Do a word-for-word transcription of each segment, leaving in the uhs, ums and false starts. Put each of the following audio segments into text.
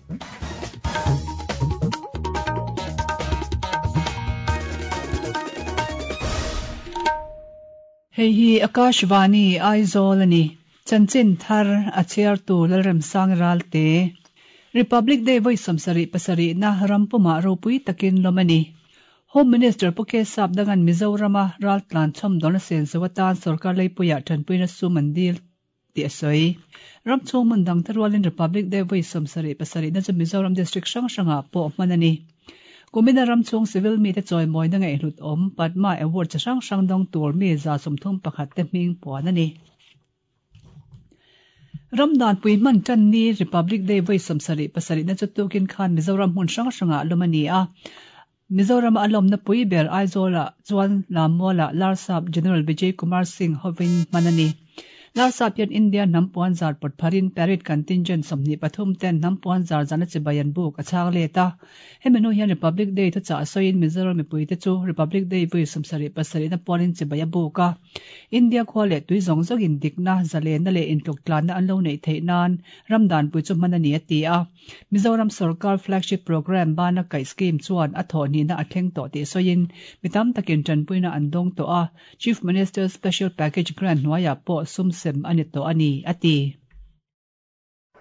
Hei hi Akashvani Aizawl ani. Chanchin thar a chhiartu Lalremsang Ralte. Republic Day vawi sawmsarih pasarih na rampuma ropui takin lawm ani. Home Minister Pu K Sapdangan Mizorama raltlan chhawmdawn a sen zo atan sorkar leipuiah tanpuina sum an dil tih a sawi. Ram chhung hmun dang te rualin Republic Day vawi sawmsarih pasarih na chu Mizoram District hrang hrangah pawh hman a ni. Kumina ram chhung civil mi te chawimawina ngaihhlut awm Padma Award chi hrang hrang dawng tur mi za sawmthum pakhat te hming puan a ni. Ram danpui hman tan ni Republic Day vawi sawmsarih pasarih na chu tukin khan Mizoram hmun hrang hrangah lawm a ni a. Mizoram a lawmna pui ber Aizawlah chuan Lammualah Larsap General Vijay Kumar Singh hovin hman a ni. Larsap hian India hnam puan zar pawt pharin parade contingent sawmhnih pathum ten hnam puan zar zana chibai an buk a chhang let a. Hemi hnu hian Republic Day thuchah sawiin Mizoram mipui te chu Republic Day vawi sawmsarih pasarih na puanin chibai a buk a. India khua leh tui zawng zawngin dikna, zalenna leh intluk tlanna an lo neih theih nan ram danpui chu hman a ni a ti a. Mizoram Sarkar flagship program bana kaih scheme chuan a thawh hnihna a thleng tawh tih sawiin mi tam takin tanpuina an dawng tawh a. Chief Minister Special Package Grant hnuaiah pawh sum sem a ni tawh a ni a ti.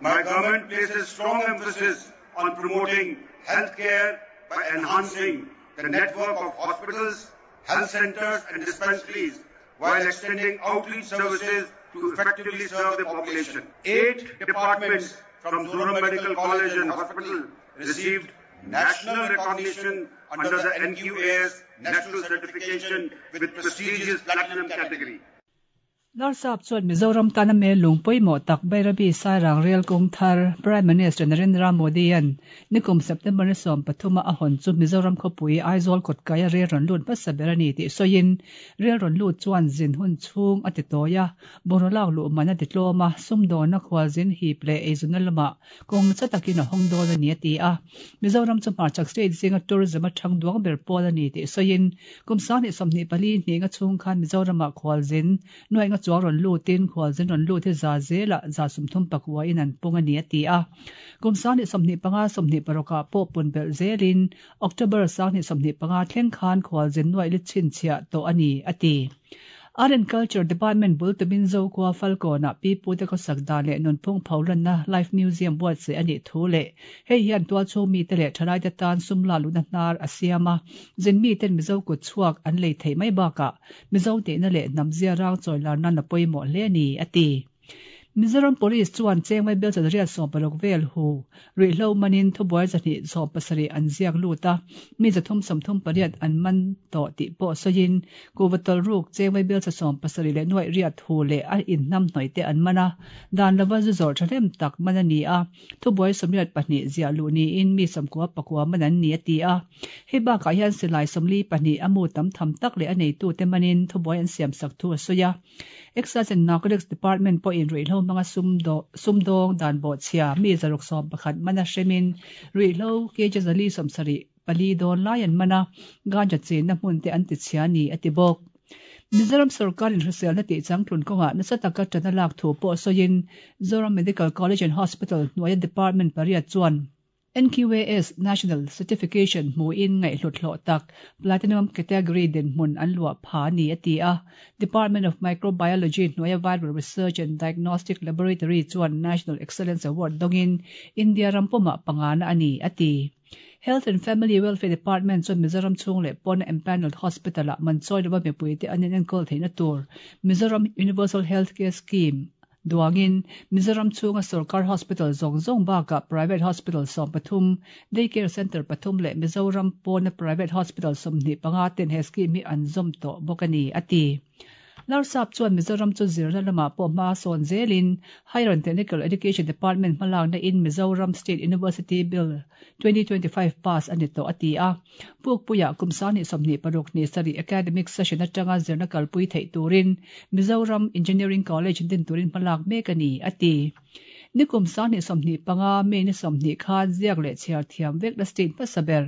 My government places strong emphasis on promoting healthcare by enhancing the network of hospitals, health centers and dispensaries while extending outreach services to effectively serve the population. Eight departments from Zoram Medical College and Hospital received national recognition under the N Q A S National Certification with prestigious Platinum category. Larsap chuan Mizoram tana me lungpui mo tak Bairabi Sairang Rail kawng thar Prime Minister Narendra Modi an nikum September ni sawm pathuma a hawn chu Mizoram khawpui Aizawl kawtkaia rel rawn lut hmasa ber a ni tih sawiin rel rawn lut chuan zin hun chhung a ti tawi a bungralak luh man a ti tlawm a sumdawna khualzin hip leh eizuna lamah kawng cha takin a hawng dawn a ni a ti a. Mizoram chu hmarchhak state zinga tourism a thang duang ber pawl a ni tih sawiin kum sang hnih sawmhnih pali hnih nga chhung khan Mizoramah khualzin nuai nga chuang rawn lutin khualzin rawn lut hi za zela za sawmthum pakua in an pung a ni a ti a. Kum sang hnih sawmhnih panga sawmhnih parukah pawh pun belh zelin October sang hnih sawmhnih panga thleng khan khualzin nuai li chhinchhiah tawh a ni a ti. Art and Culture Department bul tumin zo khua Falkona pi pu te khawsak dan leh nunphung pholanna Life Museum buatsaih a nih thu leh hei hian tual chhung mi te leh thalai te tan sum la luna hnar a siam a. Zin mi ten Mizo kut chhuak an lei theih mai bakah Mizo tehna leh hnam zia rang chawi larna na pawimawh hle a ni a ti. Mizoram Police chuan chengmai bel chan riat sawm paruk vel hu ruihhlo manin thubuai zahnih sawm pasarih an ziak lut a mi zathum sawmthum pariat an man tawh tih pawh sawiin kuvatawlh ruk chengmai bel cha sawm pasarih leh nuaih riat hu leh a inhnam hnawih te an man a dan lova zu zawrh thahnem tak man a ni a thubuai sawmriat pahnih ziah luh niin mi sawmkua pakua man an ni a ti a. Hei bakah hian silai sawmli pahnih a mu tam tham tak leh a neitu te manin thubuai an siam sak thu a sawi a. Excise and Narcotics Department pawhin ruihhlo hmanga sumdawng dan bawhchhia mi zaruk sawm pakhat mana hremin ruihhlo kg zali sawmsarih pali dawn lai an mana ganja chenna hmun te an ti chhia ni a ti bawk. Mizoram Sarkarin hriselna tih changtlun kawngah nasa taka ṭan a lak thu pawh sawiin Zoram Medical College and Hospital hnuaia Department pariat chuan N Q A S National Certification hmuin ngaihhlut hlawh tak Platinum Category dinhmun an luah pha ni a ti a. Department of Microbiology hnuaia Viral Research and Diagnostic Laboratory chuan National Excellence Award dawngin India rampumah pangana a ni a ti. Health and Family Welfare Department chuan Mizoram chhung leh pawn empanelled hospital ah manchawi lova mipui te an inenkawl theihna tur Mizoram Universal Healthcare Scheme duangin Mizoram chhunga Sarkar Hospital zawng zawng bakah private hospital sawm pathum daycare center pathum leh Mizoram pawna private hospital sawmhnih panga ten he scheme hi an zawm tawh bawk a ni a ti. Larsap chuan Mizoram chu zirna lamah pawh hma sawn zelin Higher and Technical Education Department hmalakna in Mizoram State University Bill twenty twenty-five pass a ni tawh a ti a. Pukpuiah kum sang hnih sawmhnih paruk hnih sarih academic session atanga zirna kalpui theih turin Mizoram Engineering College din turin hmalak mek a ni a ti. Nikum sang hnih sawmhnih panga mi ni sawmhnih khan ziak leh chhiar thiam vek na state hmasa ber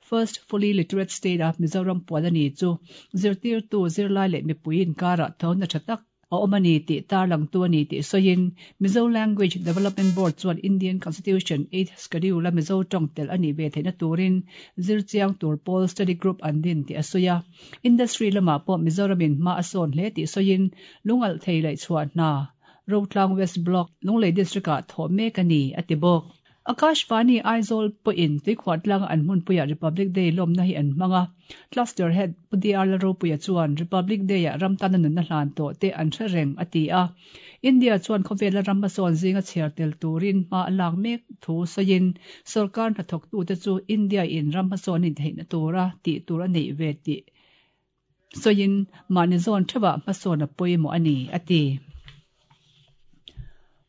first fully literate state a Mizoram puan a ni chu zirtirtu zirlai leh mipui inkara thona tha tak a awm a ni tih tarlang tu a ni tih sawiin Mizo Language Development Board chuan Indian Constitution Eighth Schedule a Mizo tawng tel a nih ve theihna turin zirchiang tur pawl study group an din tih a sawi a. Industry lamah pawh Mizoramin hma a sawn hle tih sawiin lungalh thei laih chhuah hna Rotlang West Block Lunglei District ah thawh mek a ni a ti bawk. Akashvani Aizawl pawhin tuikhuah tlanga an hmunpuiah Republic Day lawmna hi an hmang a. Cluster Head Pu D R Lalropuia chuan Republic Day-ah ram tana nunna hlan tawh te an hre reng a ti a. India chuan khawvela ram hmasawn zinga chhiar tel turin hma a lak mek thu sawiin sarkar hnathawktute chu India in ram hmasawn in theihna tura tih tur a neih ve tih sawiin mahni zawn theuhah hmasawn a pawimawh a ni a ti.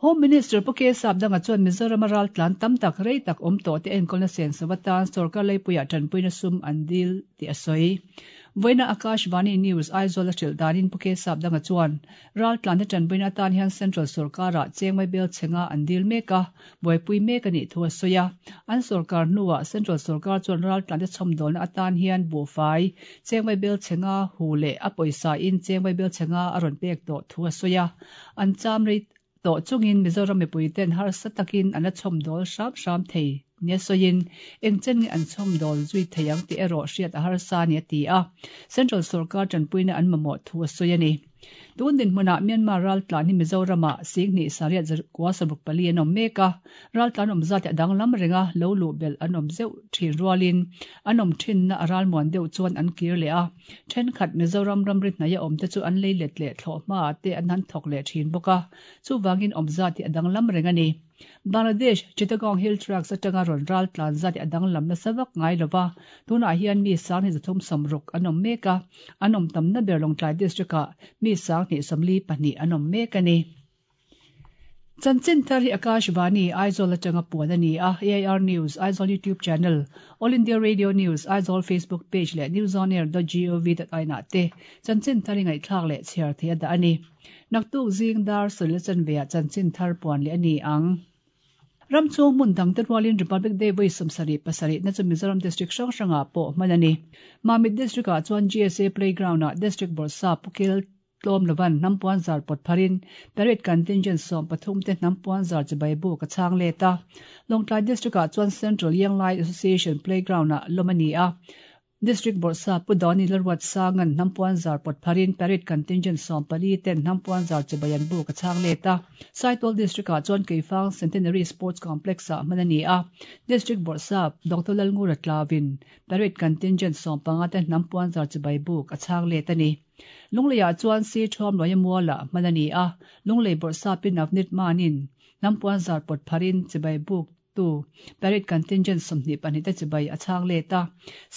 Home Minister Pu K Sapdanga chuan Mizoram a ral tlan tam tak rei tak awm tawh te enkawlna sen sawatan sarkar leipuiah tanpuina sum an dil tih a sawi. Vawiina Akashvani News Aizawl a hrilh danin Pu K Sapdanga chuan ral tlan te tanpuina atan hian Central sarkarah chengmai bel chhenga an dil mek a, buaipui mek a nih thu a sawi a. An sarkar hnuah Central sarkar chuan ral tlan te chhawmdawlna atan hian buhfai chengmai bel chhenga hu leh a pawisa in chengmai bel chhenga a rawn pek tawh thu a sawi a. An cham rei tawh chungin Mizoram mipui ten harsa takin an la chhawmdawl hram hram thei nia sawiin engchen nge an chhawmdawl zui thei ang tih erawh hriat a harsa ni a ti a. Central sarkar tanpuina an mamawh thu a sawi a ni. Tun din hmunah Myanmar ral tlan hi Mizoramah Singhnih Sariat Zakua Saruk pali an awm mek a. Ral tlan awm zat a danglam renga lo luh belh an awm zeuh thin rualin an awm thinna a ral muan deuh chuan an kir leh a. Thenkhat Mizoram ramri hnaih a awm te chu an lei let leh thlawh hmaah te an han thawk leh thin bawk a. Chuvangin awm zat hi a danglam reng a ni. Bangladesh Chittagong Hill Tracts atanga rawn ral tlan zat hi a danglam nasa vak ngai lova. Tunah hian mi sang hi zathum sawmruk an awm mek a. An awm tamna ber Lawngtlai District ah mi sang hnih sawmli pahnih an awm mek a ni. Chanchin thar hi Akashvani Aizawl atanga puan a ni a. A I R News Aizawl YouTube channel, All India Radio News Aizawl Facebook page leh newsonair dot gov dot in ah te chanchin thar hi ngaihthlak leh chhiar thei a dah a ni. Naktuk zing dar sawlila chanveah chanchin thar puan leh a ni ang. Ram chung hmun dang te rualin Republic Day vawi sawmsarih pasarih na chu Mizoram District hrang hrangah pawh hman a ni. Mamit District ah chuan G S A Playground ah District Bawrhsap Pu Kel tlawm lovan hnampuan zar pawt pharin parade contingent sawm pathum te hnampuan zar chibai buk a chhang let a. Lawngtlai District ah chuan Central Yanglai Association Playground ah lawm a ni a. District Bawrhsap Pu Dawni Lalruat Sangan hnampuan zar pawt pharin parade contingent sawm pali ten hnampuan zar chibai an buk a chhang let a. Saitual District ah chuan Keifang Centenary Sports Complex ah hman a ni a. District Bawrhsap Doctor Lalngura Tlawin parade contingent sawm panga te hnampuan zar chibai buk a chhang let a ni. Lungleiah chuan si thuam loia muala hman a ni a. Lunglei Bawrhsap in Navneet Manin hnampuan zar pawt pharin chibai buk tu parade contingent sawmhnih pahnih te chibai a chhang let a.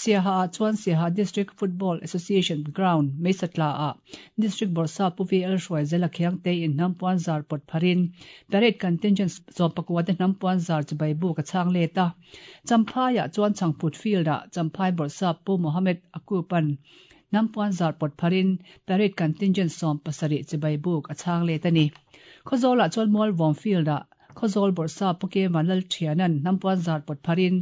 Siaha ah chuan Siaha District Football Association Ground Meisatla ah District Bawrhsap Pu V L Hruaizela Khiangte in hnampuan zar pawt pharin parade contingent sawm pakua te hnampuan zar chibai buk a chhang let a. Champhai ah chuan Changphut Field ah Champhai Bawrhsap Pu Mohammed Akupan hnampuan zar pawt pharin parade contingent sawm pasarih chibai buk a chhang let a ni. Khawzawl ah chuan Mualvawm Field ah Khawzawl Bawrhsap Pu K Vanlal Thianan hnampuan zar pawt pharin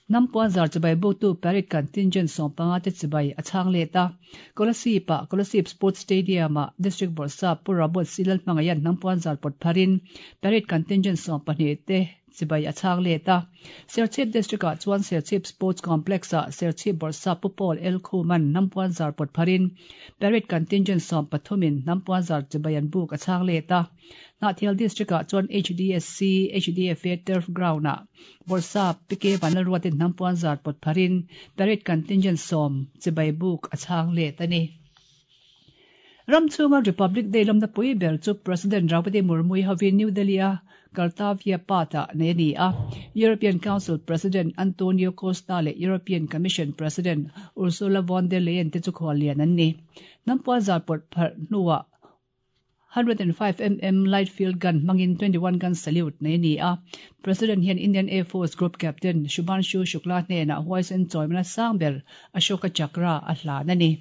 hnampuan zar chibai buk tu parade contingent sawm panga te chibai a chhang let a. Kolasib ah Kolasib Sports Stadium ah District Bawrhsap Pu Robert Silal hmangaian hnampuan zar pawt pharin parade contingent sawm pahnih te chibai a chhang let a. Serchhip District ah chuan Serchhip Sports Complex ah Serchhip Bawrhsap Pu Paul L Khuman hnampuan zar pawt pharin parade contingent sawm pathumin hnampuan zar chibai an buk a chhang let a. Hnahthial District ah chuan H D S C H D F A Turf Ground ah Bawrhsap P K Vanlalruatin hnampuan zar pawt pharin parade contingent sawm chibai buk a chhang let a ni. Ram chunga Republic Day lawmna pui ber chu President Draupadi Murmu hovin New Delhi a Kartavya Path ah nei a ni a. European Council President Antonio Costa leh European Commission President Ursula von der Leyen te chu khuallian an ni. Hnampuan zar pawt phar hnuah one hundred and five millimeter light field gun hmangin twenty-one gun salute nei a ni a. President hian Indian Air Force Group Captain Shubhanshu Shukla hnenah huaisen chawimna sang ber Ashoka Chakra a hlan a ni.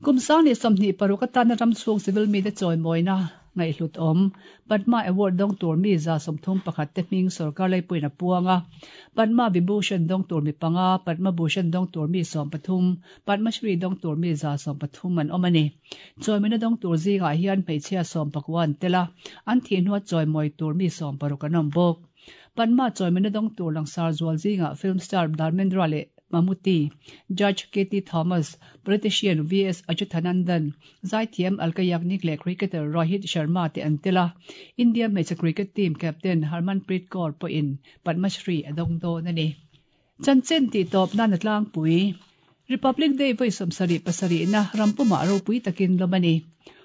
Kum sang ni sawmhnih paruk atana ram chhung civil mi te chawimawina ngaihhlut awm Padma Award dawng tur mi za sawmthum pakhat te hming sorkar laipuiin a puang a. Padma Vibhushan dawng tur mi panga, Padma Bhushan dawng tur mi sawm pathum, Padma Shri dawng tur mi za sawm pathum an awm a ni. Chawimawina dawng tur zingah hian hmeichhia sawm pakua an tel a, an thih hnua chawimawi tur mi sawm paruk an awm bawk. Padma chawimawina dawng tur langsar zual zingah film star Dharmendra leh Mammootty, Judge K T Thomas, politician V S Achuthanandan, Zaithiam Alka Yagnik leh cricketer Rohit Sharma te an tel a. India hmeichhe cricket team captain Harmanpreet Kaur pawhin Padma Shri a dawng dawn a ni. Chanchin tih tawp nan a tlangpui. Republic Day vawi sawmsarih pasarihna rampumah ropui takin lawm a ni.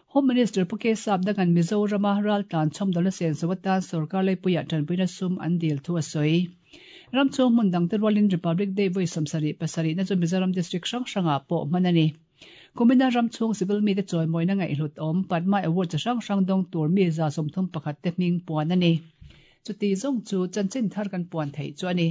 Home Minister Pu K Sap dangan Mizorama raltlan chhawmdawlna senso atan sorkar laipuiah tanpuina sum an dil thu a sawi. Ramchhung hmun dang te rualin Republic Day vawi sawmsarih pasarihna chu Mizoram District hrang hrangah pawh hman a ni. Kumina ramchhung civil mi te chawimawina ngaihhlut awm Padma Award chi hrang hrang dawng tur mi za sawmthum pakhat te hming puan a ni. Chuti zawng chu chanchin thar kan puan theih chu a ni.